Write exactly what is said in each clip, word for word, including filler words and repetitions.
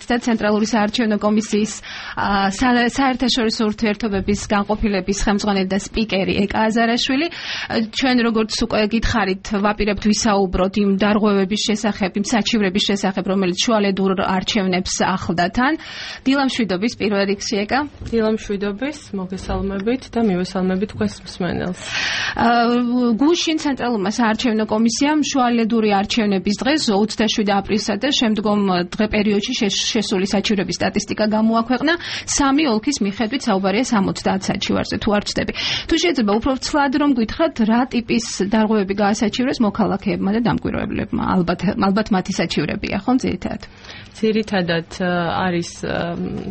და ცენტრალური საარჩევნო კომისიის საერთაშორისო ურთიერთობების განყოფილების ხელმძღვანელი და სპიკერი ეკა აზარაშვილი. ჩვენ როგორც უკვე გითხარით, ვაპირებთ ვისაუბროთ იმ დარღვევების შესახებ, იმ საჩივრების შესახებ, რომელიც შუალედურ არჩევნებს ახლდა თან. დილამშვიდობის პირველ რიგში ეკა. დილამშვიდობის, მოგესალმებით და მივესალმებით თქვენს მსმენელს. გუშინ ცენტრალურმა საარჩევნო კომისიამ შუალედური არჩევნების დღეს ოცდაშვიდი აპრილსა და შემდგომ დღე პერიოდში შესული საჩივრების სტატისტიკა გამოაქვეყნა. სამი ოლქის მიხედვით საუბარია სამოცდაათ საჩივარზე, თუ არ ვცდები. თუ შეიძლება უფრო ცვლად რომ გითხრათ, რა ტიპის დარღვევები გაასაჩივრეს მოქალაქეებმა და დამკვირვებლებმა? ალბათ ალბათ მათი საჩივრებია, ხო, ძირითადად? ძირითადად არის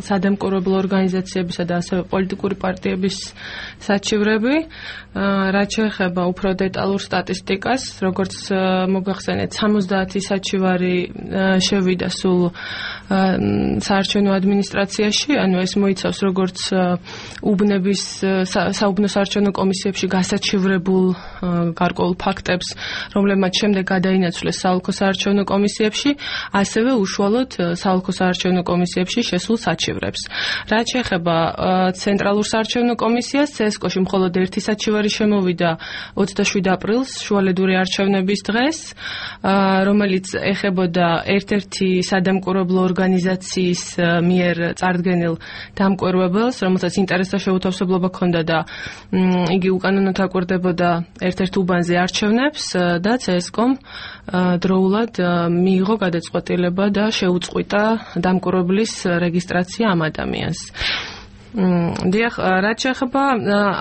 სადამკვირვებლო ორგანიზაციებისა და ასევე პოლიტიკური პარტიების საჩივრები. რაც შეეხება უფრო დეტალურ სტატისტიკას, როგორც მოგახსენეთ, სამოცდაათი საჩივარი შევიდა სულ საარჩევნო ადმინისტრაციაში, ანუ ეს მოიცავს როგორც უბნების საუბნო საარჩევნო კომისიებში გასაჩივრებულ გარკვეულ ფაქტებს, რომლებმაც შემდეგ გადაინაცვლეს საოლქო საარჩევნო კომისიებში, ასევე უშუალოდ საოლქო საარჩევნო კომისიებში შესულ საჩივრებს. რაც შეეხება ცენტრალურ საარჩევნო კომისიას, ცესკოში მხოლოდ ერთი საჩივარი შემოვიდა ოცდაშვიდი აპრილს, შუალედური არჩევნების დღეს, რომელიც ეხებოდა ერთ-ერთი სადამკვირვებლო ორგანიზაციის მიერ წარდგენილ დამკვირვებელს, რომელსაც ინტერესთა შეუთავსებლობა ჰქონდა და იგი უკანონოდ აკვირდებოდა ერთ-ერთ უბანზე არჩევნებს და ცესკომ დროულად მიიღო გადაწყვეტილება და შეუწყვიტა დამკვირვებლის რეგისტრაცია ამ ადამიანს. დიახ, რაც შეეხება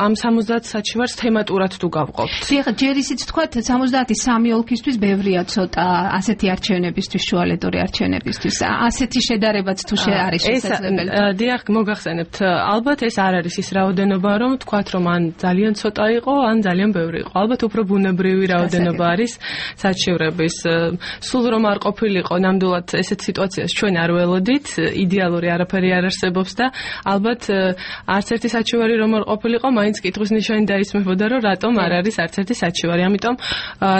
ამ სამოცდაათ საჩივარს თემატურად თუ გავყოფთ. დიახ, ჯერ ისიც თქვათ, სამოცდაათი სამი ოლქისთვის ბევრია ცოტა ასეთი არჩევნებისთვის, შუალედური არჩევნებისთვის. ასეთი შედარებაც თუ არის შესაძლებელი. დიახ, მოგახსენებთ, ალბათ ეს არ არის ის რაოდენობა, რომ თქვათ, რომ ან ძალიან ცოტა იყო, ან ძალიან ბევრი იყო. ალბათ უფრო ბუნებრივი რაოდენობა არის საჩივრების. სულ რომ არ ყოფილიყო, ნამდვილად ესეთ სიტუაციას ჩვენ არ ველოდით, იდეალური არაფერი არ არსებობს და ალბათ არც ერთი საჩივარი რომ არ ყოფილიყო, მაინც კითხვის ნიშანი დაისმებოდა, რომ რატომ არ არის არც ერთი საჩივარი. ამიტომ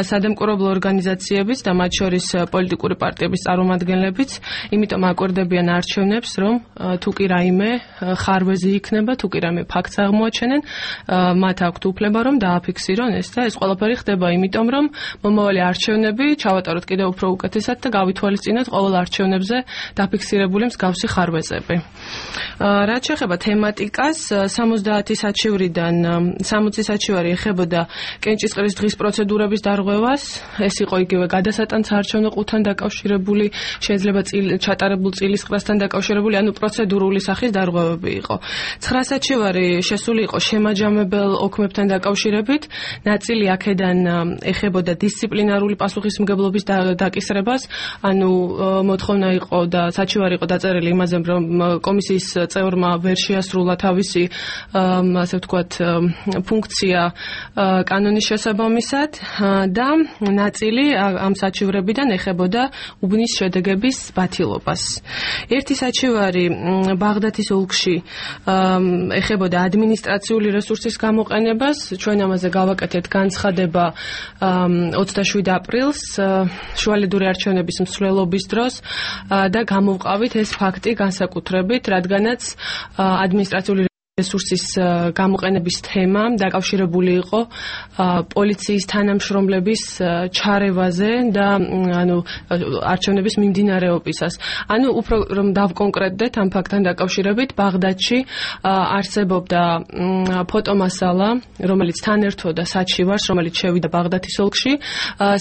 სადამკვირვებლო ორგანიზაციების და მათ შორის პოლიტიკური პარტიების წარმომადგენლებიც იმიტომ აკვირდებიან არჩევნებს, რომ თუ კი რაიმე ხარვეზი იქნება, თუ კი რაიმე ფაქტს აღმოაჩენენ, მათ აქვთ უფლება რომ დააფიქსირონ ეს და ეს ყველაფერი ხდება იმიტომ, რომ მომავალი არჩევნები ჩავატაროთ კიდევ უფრო უკეთესად და გავითვალისწინოთ ყოველ არჩევნებზე დაფიქსირებული მსგავსი ხარვეზები. რაც შეეხება თემატიკას, სამოცდაათი საჩივრიდან სამოცი საჩივარი ეხებოდა კენჭისყრის დღის პროცედურების დარღვევას. ეს იყო იგივე გადასატან საარჩევნო ყუთთან დაკავშირებული, შეიძლება ჩატარებულ წილისყრასთან დაკავშირებული, ანუ პროცედურული სახის დარღვევები იყო. ცხრა საჩივარი შესული იყო შემაჯამებელ ოქმებთან დაკავშირებით, ნაწილი აქედან ეხებოდა დისციპლინარული პასუხისმგებლობის დაკისრებას, ანუ მოთხოვნა იყო და საჩივარი იყო დაწერილი იმაზე, რომ კომისიის წევრმა ვერ შეასრულა თავისი ასე ვთქვათ ფუნქცია კანონის შესაბამისად და ნაწილი ამ საჩივრებიდან ეხებოდა უბნის შედეგების ბათილობას. ერთი საჩივარი ბაღდათის ოლქში ეხებოდა ადმინისტრაციული რესურსის გამოყენებას. ჩვენ ამაზე გავაკეთეთ განცხადება ოცდაშვიდი აპრილს შუალედური არჩევნების მსვლელობის დროს და გამოვყავით ეს ფაქტი განსაკუთრებით, რადგანაც ადმინისტრაციული რესურსის გამოყენების თემა დაკავშირებული იყო პოლიციის თანამშრომლების ჩარევაზე და ანუ არჩევნების მიმდინარეობისას. ანუ უფრო რომ დავკონკრეტდეთ ამ ფაქტთან დაკავშირებით, ბაღდადში არსებობდა ფოტომასალა, რომელიც თან ერთვოდა საჩივარს, რომელიც შევიდა ბაღდათის ოლქში,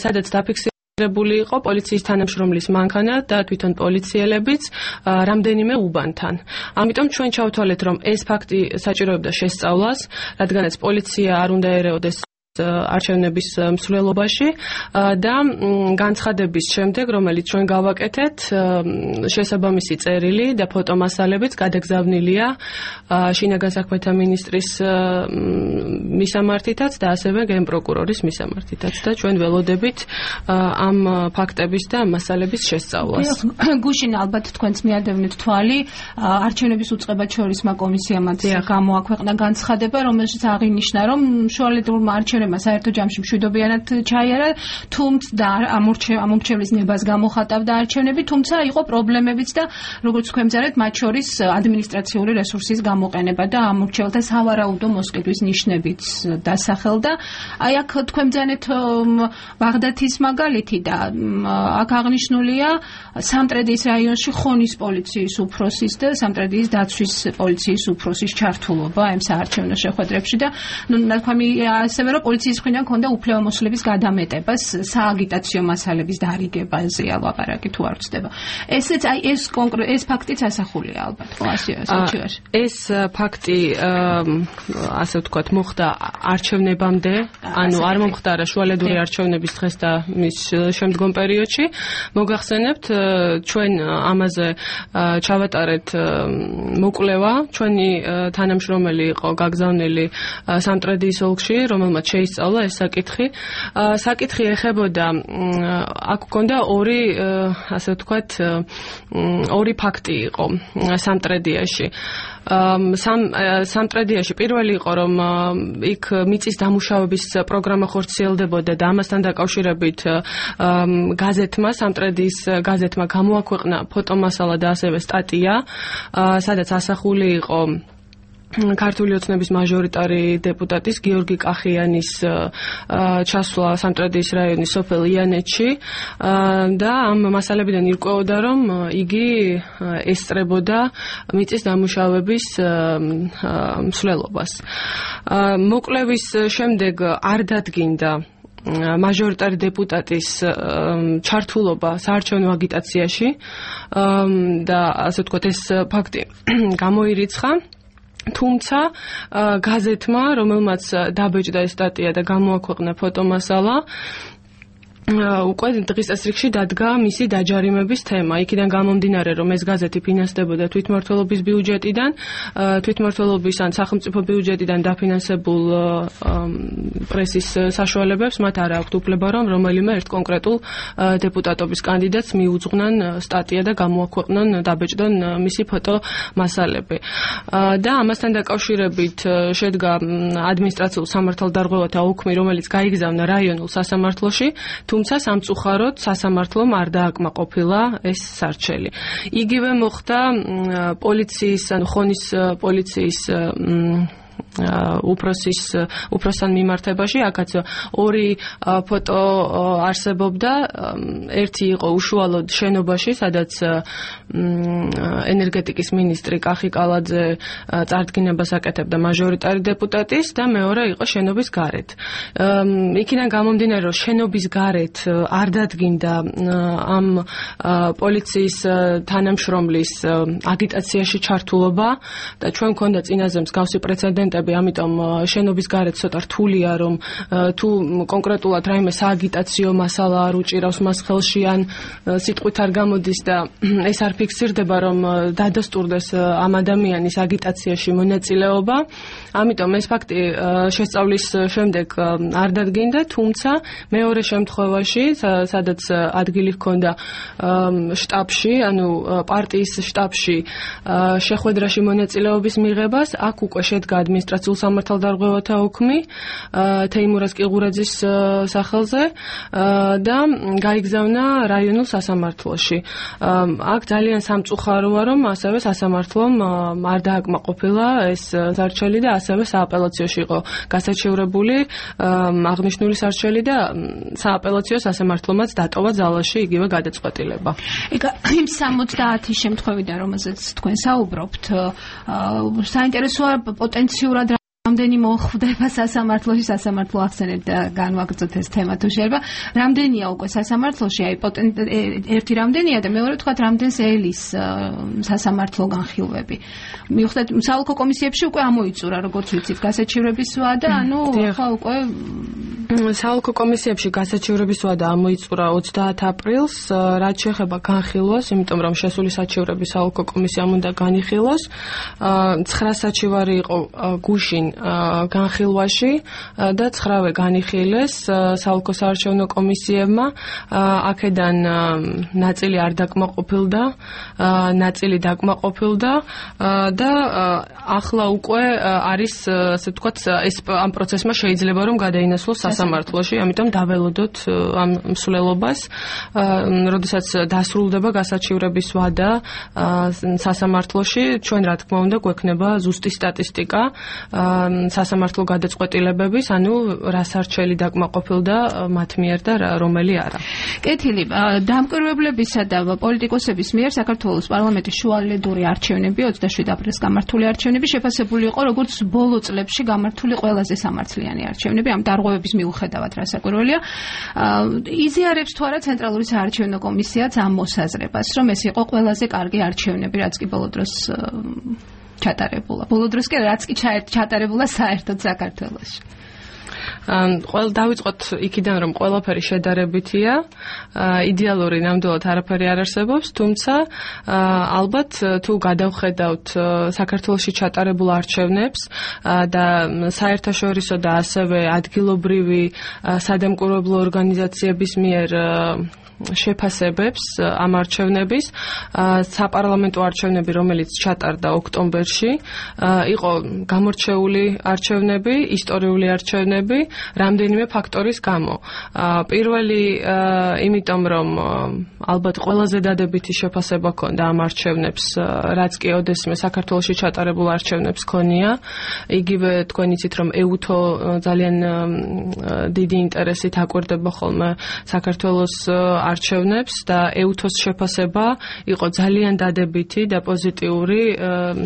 სადაც დაფიქსირდა რებული იყო პოლიციის თანამშრომლის მანქანა და თვითონ პოლიციელებიც რამდენიმე უბანთან. ამიტომ ჩვენ ჩავთვალეთ, რომ ეს ფაქტი საჭიროებდა შესწავლას, რადგანაც პოლიცია არ უნდა ერეოდეს არჩევნების მსვლელობაში და განცხადების შემდეგ, რომელიც ჩვენ გავაკეთეთ, შესაბამისი წერილი და ფოტომასალებიც გადაგზავნილია შინაგან საქმეთა მინისტრის მისამართითაც და ასევე გენპროკურორის მისამართითაც და ჩვენ ველოდებით ამ ფაქტების და ამ მასალების შესწავლას. გუშინ ალბათ თქვენც მიადევნეთ თვალი არჩევნების უწყებად შორისმა კომისიამ გამოაქვეყნა განცხადება, რომელშიც აღინიშნა, რომ შუალედურმა არჩევნებმა ხელმძღვანელმა საერთო ჯამში მშვიდობიანად ჩაიარა, თუმცა ამორჩევლის ნებას გამოხატავდა არჩევნები, თუმცა იყო პრობლემებიც და როგორც თქვენ მზარეთ, მათ შორის ადმინისტრაციული რესურსის გამოყენება და ამორჩევლთა სავარაუდო მოსყიდვის ნიშნებიც დასახელდა. აი აქ თქვენ მზარეთ ბაღდათის მაგალითი და აქ აღნიშნულია სამტრედიის რაიონში ხონის პოლიციის უფროსის და სამტრედიის დაცვის პოლიციის უფროსის ჩართულობა ამ საარჩევნო შეხვედრებში და ნუ ნათქვამი ასევე რომ პოლიციის მხრიდან ქონდა უფლებამოსილების გადამეტებას სააგიტაციო მასალების დარიგებაზე ალაპარაკი თუ არ ვწდება. ესეც აი ეს კონკრეტ ეს ფაქტიც ასახულია ალბათ ხო ასოციაციაში. ეს ფაქტი ასე ვთქვათ მოხდა არჩევნებამდე, ანუ არ მომხდარა შუალედური არჩევნების დღეს და მის შემდგომ პერიოდში. მოგახსენებთ ჩვენ ამაზე ჩავატარეთ მოკვლევა, ჩვენი თანამშრომელი იყო გაგზავნილი სამტრედიის ოლქში, რომელმაც შეისწავლა ეს საკითხი. საკითხი ეხებოდა აქ გქონდა ორი ასე ვთქვათ ორი ფაქტი იყო სამტრედიაში. სამ სამტრედიაში პირველი იყო რომ იქ მიწის დამუშავების პროგრამა ხორციელდებოდა და ამასთან დაკავშირებით გაზეთმა სამტრედიის გაზეთმა გამოაქვეყნა ფოტომასალა და ასევე სტატია, სადაც ასახული იყო ქართული ოცნების მაჟორიტარი დეპუტატის გიორგი კახიანის ჩასვლა სამტრედიის რაიონის სოფელ იანეთში და ამ მასალებიდან ირკვეოდა რომ იგი ესწრებოდა მიწის დამუშავების მსვლელობას. მოკვლევის შემდეგ არ დადგინდა მაჟორიტარი დეპუტატის ჩართულობა საარჩევნო აგიტაციაში და ასე ვთქვათ ეს ფაქტი გამოირიცხა. თუმცა გაზეთმა, რომელმაც დაბეჭდა ეს სტატია და გამოაქვეყნა ფოტომასალა, უკვე დღის წესრიგში დადგა მისი დაჯარიმების თემა. იქიდან გამომდინარე, რომ ეს გაზეთი ფინანსდებოდა თვითმმართველობის ბიუჯეტიდან, თვითმმართველობის ან სახელმწიფო ბიუჯეტიდან დაფინანსებულ პრესის საშუალებებს, მათ არ აქვთ უფლება, რომ რომელიმე ერთ კონკრეტულ დეპუტატობის კანდიდატს მიუძღვნან სტატია და გამოაქვეყნონ, დაბეჭდონ მისი ფოტომასალები. და ამასთან დაკავშირებით შედგა ადმინისტრაციულ სამართალდარღვევათა ოლქი, რომელიც გაიგზავნა რაიონულ სასამართლოში, თუმცა სამწუხაროდ სასამართლომ არ დააკმაყოფილა ეს სარჩელი. იგივე მოხდა პოლიციის, ანუ ხონის პოლიციის უფროსის უფროსთან მიმართებაში, აქაც ორი ფოტო არსებობდა. ერთი იყო უშუალოდ შენობაში, სადაც ენერგეტიკის მინისტრი კახი კალაძე წარდგინებას აკეთებდა მაჟორიტარი დეპუტატის და მეორე იყო შენობის გარეთ. იქიდან გამომდინარე, რომ შენობის გარეთ არ დადგინდა ამ პოლიციის თანამშრომლის აგიტაციაში ჩართულობა და ჩვენ მქონდა წინაზე მსგავსი პრეცედენტები, ამიტომ შენობის გარეთ ცოტა რთულია, რომ თუ კონკრეტულად რაიმე სააგიტაციო მასალა არ უჭირავს მას ხელში ან სიტყვით არ გამოდის და ეს არ ფიქსირდება, რომ დადასტურდეს ამ ადამიანის აგიტაციაში მონაწილეობა. ამიტომ ეს ფაქტი შესწავლის შემდეგ არ დადგინდა, თუმცა მეორე შემთხვევაში, სადაც ადგილი ჰქონდა შტაბში, ანუ პარტიის შტაბში შეხვედრაში მონაწილეობის მიღებას, აქ უკვე შედგა ადმინისტრაციულ სამართალდარღვევათა ოლქი თეიმურაზ კიღურაძის სახელზე და გაიგზავნა რაიონულ სასამართლოში. აქ ძალიან სამწუხაროა, რომ ასევე სასამართლომ არ დააკმაყოფილა ეს სარჩელი და ასევე სააპელაციოში იყო გასაჩივრებული აღნიშნული სარჩელი და სააპელაციო სასამართლომაც დატოვა ძალაში იგივე გადაწყვეტილება. იგა იმ სამოცდაათი შემთხვევიდან, რომელზეც თქვენ საუბრობთ, საინტერესოა პოტენციურად რამდენი მოხვდება სასამართლოში, სასამართლო ახსენეთ და განვაგრძოთ ეს თემა თუ შეიძლება. რამდენია უკვე სასამართლოში, აი ერთი რამდენია და მეორე თქვათ რამდენს ელის სასამართლო განხილვები. მიუხედავად საოლქო კომისიებში უკვე ამოიწურა, როგორც ვიცით, გასაჩივრების ვადა, ანუ ხა უკვე საოლქო კომისიებში გასაჩივრების ვადა ამოიწურა ოცდაათ აპრილს, რაც შეეხება განხილვას, იმიტომ რომ შესული საჩივრები საოლქო კომისიამ უნდა განიხილოს. ცხრა საჩივარი იყო გუშინ განხილვაში და ცხრავე განიხილეს საოლქო საარჩევნო კომისიებმა. აქედან ნაწილი არ დაკმაყოფილდა, ნაწილი დაკმაყოფილდა და ახლა უკვე არის, ასე ვთქვათ, ეს ამ პროცესმა შეიძლება რომ გადაინაცვლოს სასამართლოში, ამიტომ დაველოდოთ ამ მსვლელობას, როდესაც დასრულდება გასაჩივრების ვადა სასამართლოში, ჩვენ რა თქმა უნდა გვექნება ზუსტი სტატისტიკა სასამართლო გადაწყვეტილებების, ანუ რა სარჩელი დაკმაყოფილდა მათ მიერ და რომელი არა. კეთილი, დამკვირვებლებისა და პოლიტიკოსების მიერ საქართველოს პარლამენტის შუალედური არჩევნები ოცდაშვიდ აპრილს გამართული არჩევნები შეფასებული იყო როგორც ბოლო წლებში გამართული ყველაზე სამართლიანი არჩევნები ამ დარღვევების მიუხედავად, რასაკვირველია. იზიარებს თუ არა ცენტრალური საარჩევნო კომისიაც ამ მოსაზრებას, რომ ეს იყო ყველაზე კარგი არჩევნები, რაც კი ბოლო დროს ჩატარებულა. ბოლო დროს კი რაც კი ჩატარებულა საერთოდ საქართველოში. ყველ დავიწყოთ იქიდან, რომ ყველაფერი შედარებითია, იდეალური ნამდვილად არაფერი არ არსებობს, თუმცა ალბათ თუ გადავხედავთ საქართველოში ჩატარებულ არჩევნებს და საერთაშორისო და ასევე ადგილობრივი სადამკვირვებლო ორგანიზაციების მიერ შეფასებებს ამ არჩევნების, საპარლამენტო არჩევნები, რომელიც ჩატარდა ოქტომბერში, იყო გამორჩეული არჩევნები, ისტორიული არჩევნები, რამდენიმე ფაქტორის გამო. პირველი, იმიტომ რომ ალბათ ყველაზე დადებითი შეფასება ჰქონდა ამ არჩევნებს, რაც კი ოდესმე საქართველოში ჩატარებულ არჩევნებს ჰქონია. იგივე თქვენ იცით, რომ ეუთო ძალიან დიდი ინტერესით აკვირდება ხოლმე საქართველოს არჩევნებს და ეუთოს შეფასება იყო ძალიან დადებითი და პოზიტიური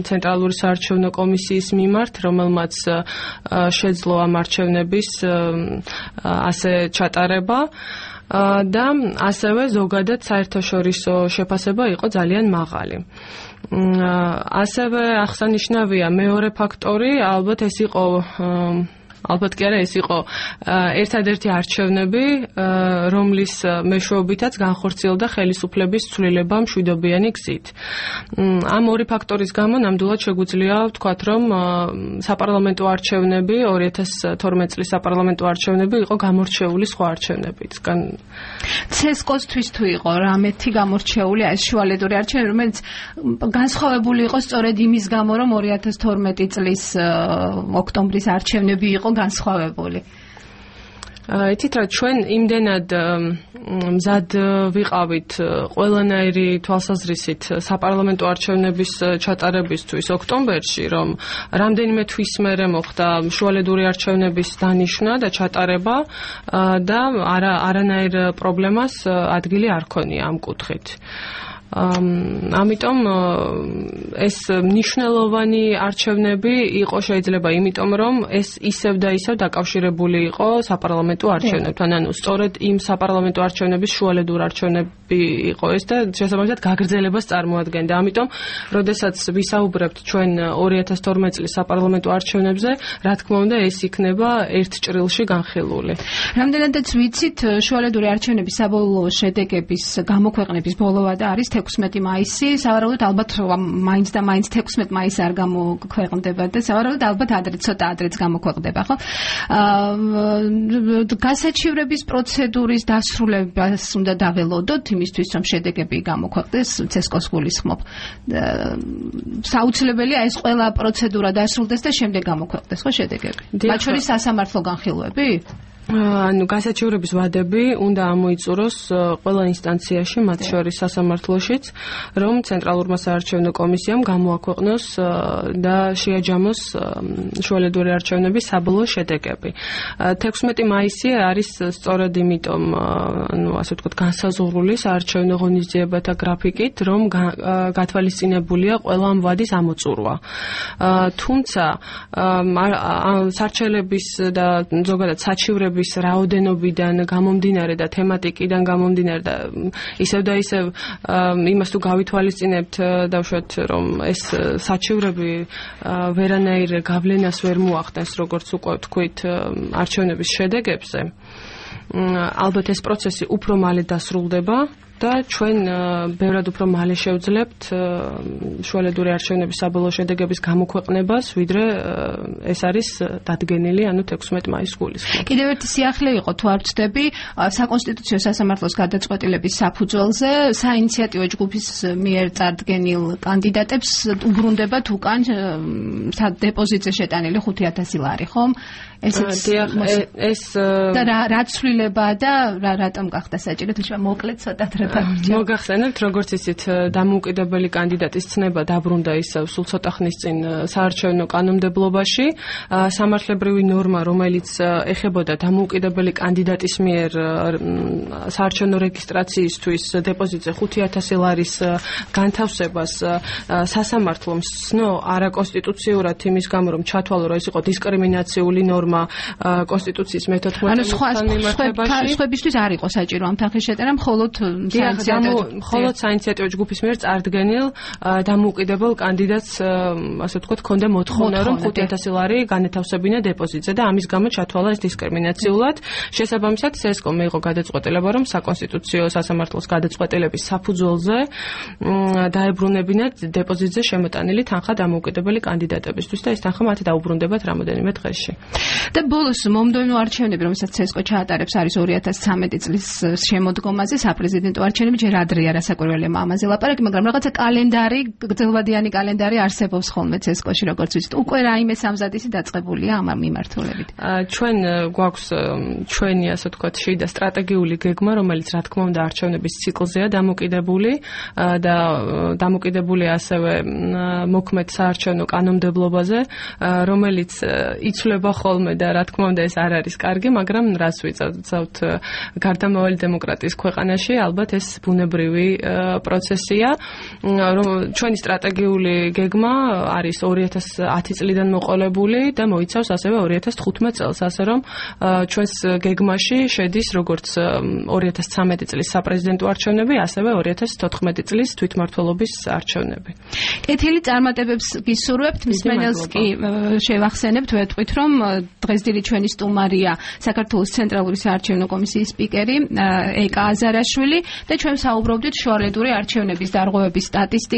ცენტრალური საარჩევნო კომისიის მიმართ, რომელმაც შეძლო ამ არჩევნების ასე ჩატარება და ასევე ზოგადად საერთაშორისო შეფასება იყო ძალიან მაღალი. ასევე აღსანიშნავია მეორე ფაქტორი, ალბათ ეს იყო ალბათ კი არა, ეს იყო ერთადერთი არჩევნები, რომლის მეშვეობითაც განხორციელდა ხელისუფლების ცვლილება მშვიდობიანი გზით. ამ ორი ფაქტორის გამო ნამდვილად შეგვიძლია ვთქვათ, რომ საპარლამენტო არჩევნები, ორი ათას თორმეტ წლის საპარლამენტო არჩევნები იყო გამორჩეული სხვა არჩევნებისგან. ცესკოსთვის თუ იყო რამეთი გამორჩეული ეს შუალედური არჩევნები, რომელიც განსხვავებული იყო სწორედ იმის გამო, რომ ორი ათას თორმეტი წლის ოქტომბრის არჩევნები იყო განსხვავებული. იცით რა, ჩვენ იმდენად მზად ვიყავით ყველანაირი თვალსაზრისით საპარლამენტო არჩევნების ჩატარებისთვის ოქტომბერში, რომ რამდენიმე თვის მერე მოხდა შუალედური არჩევნების დანიშვნა და ჩატარება და არა არანაირ პრობლემას ადგილი არ ქონია ამ კუთხით. ამიტომ ეს მნიშვნელოვანი არჩევნები იყო შეიძლება იმიტომ, რომ ეს ისევ და ისევ დაკავშირებული იყო საპარლამენტო არჩევნებთან, ანუ სწორედ იმ საპარლამენტო არჩევნების შუალედურ არჩევნები იყო ეს და შესაბამისად გაგრძელებას წარმოადგენდა. ამიტომ, როდესაც ვისაუბრებთ ჩვენ ორი ათას თორმეტ წლის საპარლამენტო არჩევნებზე, რა თქმა უნდა, ეს იქნება ერთ ჭრილში განხილული. რამდენადაც ვიცით, შუალედური არჩევნების საბოლოო შედეგების გამოქვეყნების ბოლოვადა არის თექვსმეტი მაისი, სავარაუდოდ ალბათ მაინც და მაინც თექვსმეტ მაისს არ გამოქვეყნდება და სავარაუდოდ ალბათ ადრე ცოტა ადრეც გამოქვეყნდება, ხო? გასაჩივრების პროცედურის დასრულებას უნდა დაველოდოთ იმისთვის, რომ შედეგები გამოქვეყნდეს, ცესკოს გულისხმობ. საუცლებელია ეს ყველა პროცედურა დასრულდეს და შემდეგ გამოქვეყნდეს, ხო, შედეგები? მათ შორის სასამართლო განხილვები? ანუ გასაჩივრების ვადები უნდა ამოიწუროს ყველა ინსტანციაში, მათ შორის სასამართლოშიც, რომ ცენტრალურმა საარჩევნო კომისიამ გამოაქვეყნოს და შეაჯამოს შუალედური არჩევნების საბოლოო შედეგები. თექვსმეტი მაისი არის სწორედ იმიტომ, ანუ ასე ვთქვათ, განსაზღვრული საარჩევნო ღონისძიებათა გრაფიკით, რომ გათვალისწინებულია ყველა ამ ვადის ამოწურვა. თუმცა სარჩელების და ზოგადად საჩივრების რაოდენობიდან გამომდინარე და თემატიკიდან გამომდინარე და ისევ და ისევ იმას თუ გავითვალისწინებთ, დავშვათ, რომ ეს საჩივრები ვერანაირ გავლენას ვერ მოახდენს, როგორც უკვე ვთქვით, არჩევნების შედეგებზე. ალბათ ეს პროცესი უფრო მალე დასრულდება, და ჩვენ ბევრად უფრო მალე შევძლებთ შუალედური არჩევნების საბოლოო შედეგების გამოქვეყნებას, ვიდრე ეს არის დადგენილი, ანუ თექვსმეტი მაისის გულისხმობ. კიდევ ერთი სიახლე იყო, თუ არ ვცდები, საკონსტიტუციო სასამართლოს გადაწყვეტილების საფუძველზე საინიციატივო ჯგუფის მიერ წარდგენილ კანდიდატებს უბრუნდებათ უკან დეპოზიტზე შეტანილი ხუთი ათასი ლარი, ხომ? ესეც ეს და რა ცვლილებაა და რა რატომ გახდა საჭირო თუმცა მოკლედ ცოტათ რა დაგვრჩა. მოგახსენებთ, როგორც იცით, დამოუკიდებელი კანდიდატის ცნება დაბრუნდა ისევ სულ ცოტა ხნის წინ საარჩევნო კანონმდებლობაში. სამართლებრივი ნორმა, რომელიც ეხებოდა დამოუკიდებელი კანდიდატის მიერ საარჩევნო რეგისტრაციისთვის დეპოზიტზე ხუთი ათასი ლარის განთავსებას სასამართლომ სცნო არაკონსტიტუციურად იმის გამო, რომ ჩათვალო, რომ ეს იყო დისკრიმინაციული ნორმა კონსტიტუციის მეთოთხმეტე მომხმარებაში. სხვებისთვის არ იყო საჭირო ამ თანხის შეტანა, მხოლოდ მხოლოდ საინიციატივო ჯგუფის მიერ წარდგენილ დამოუკიდებელ კანდიდატს, ასე ვთქვათ, ჰქონდა მოთხოვნა, რომ ხუთი ათასი ლარი განეთავსებინა დეპოზიტზე და ამის გამო ჩათვალა ეს დისკრიმინაციულად. შესაბამისად, სესკომ მიიღო გადაწყვეტილება, რომ საკონსტიტუციო სასამართლოს გადაწყვეტილების საფუძველზე დაებრუნებინათ დეპოზიტზე შემოტანილი თანხა დამოუკიდებელი კანდიდატებისთვის და ეს თანხა მათ დაუბრუნდებათ რამოდენიმე დღეში. და ბოლოს მომდევნო არჩევნები, რომელსაც სესკო ჩაატარებს, არის ორი ათას ცხრამეტი წლის შემოდგომაზე, საპრეზიდენტო არჩევნები, ჯერ ადრეა რასაკვირველია ამაზე ლაპარაკი, მაგრამ რაღაცა კალენდარი, გრძელვადიანი კალენდარი არსებობს ხოლმე სესკოში, როგორც ვიცით. უკვე რაიმე სამზადისი დაწყებულია ამ მიმართულებით. ჩვენ გვაქვს ჩვენი, ასე ვთქვათ, შიდა სტრატეგიული გეგმა, რომელიც რა თქმა უნდა არჩევნების ციკლზეა დამოკიდებული და დამოკიდებული ასევე მოქმედ საარჩევნო კანონმდებლობაზე, რომელიც იცვლება ხოლმე და რა თქმა უნდა ეს არ არის კარგი, მაგრამ რას ვიწავთ გარდამავალი დემოკრატიის ქვეყანაში, ალბათ ეს ბუნებრივი პროცესია. ჩვენი სტრატეგიული გეგმა არის ორი ათას ათი წლიდან მოყოლებული და მოიცავს ასევე ორი ათას თხუთმეტ წელს, ასე რომ ჩვენს გეგმაში შედის როგორც ორი ათას ცხრამეტი წლის საპრეზიდენტო არჩევნები, ასევე ორი ათას თოთხმეტი წლის თვითმმართველობის არჩევნები. კეთილი წარმატებებს გისურვებთ, მსმენელს კი შევახსენებთ, ვეთქვით, რომ დღესდღეობით ჩვენი სტუმარია საქართველოს ცენტრალური საარჩევნო კომისიის სპიკერი ეკა აზარაშვილი და ჩვენ საუბრობდით შუალედური არჩევნების დარღვევების სტატისტიკას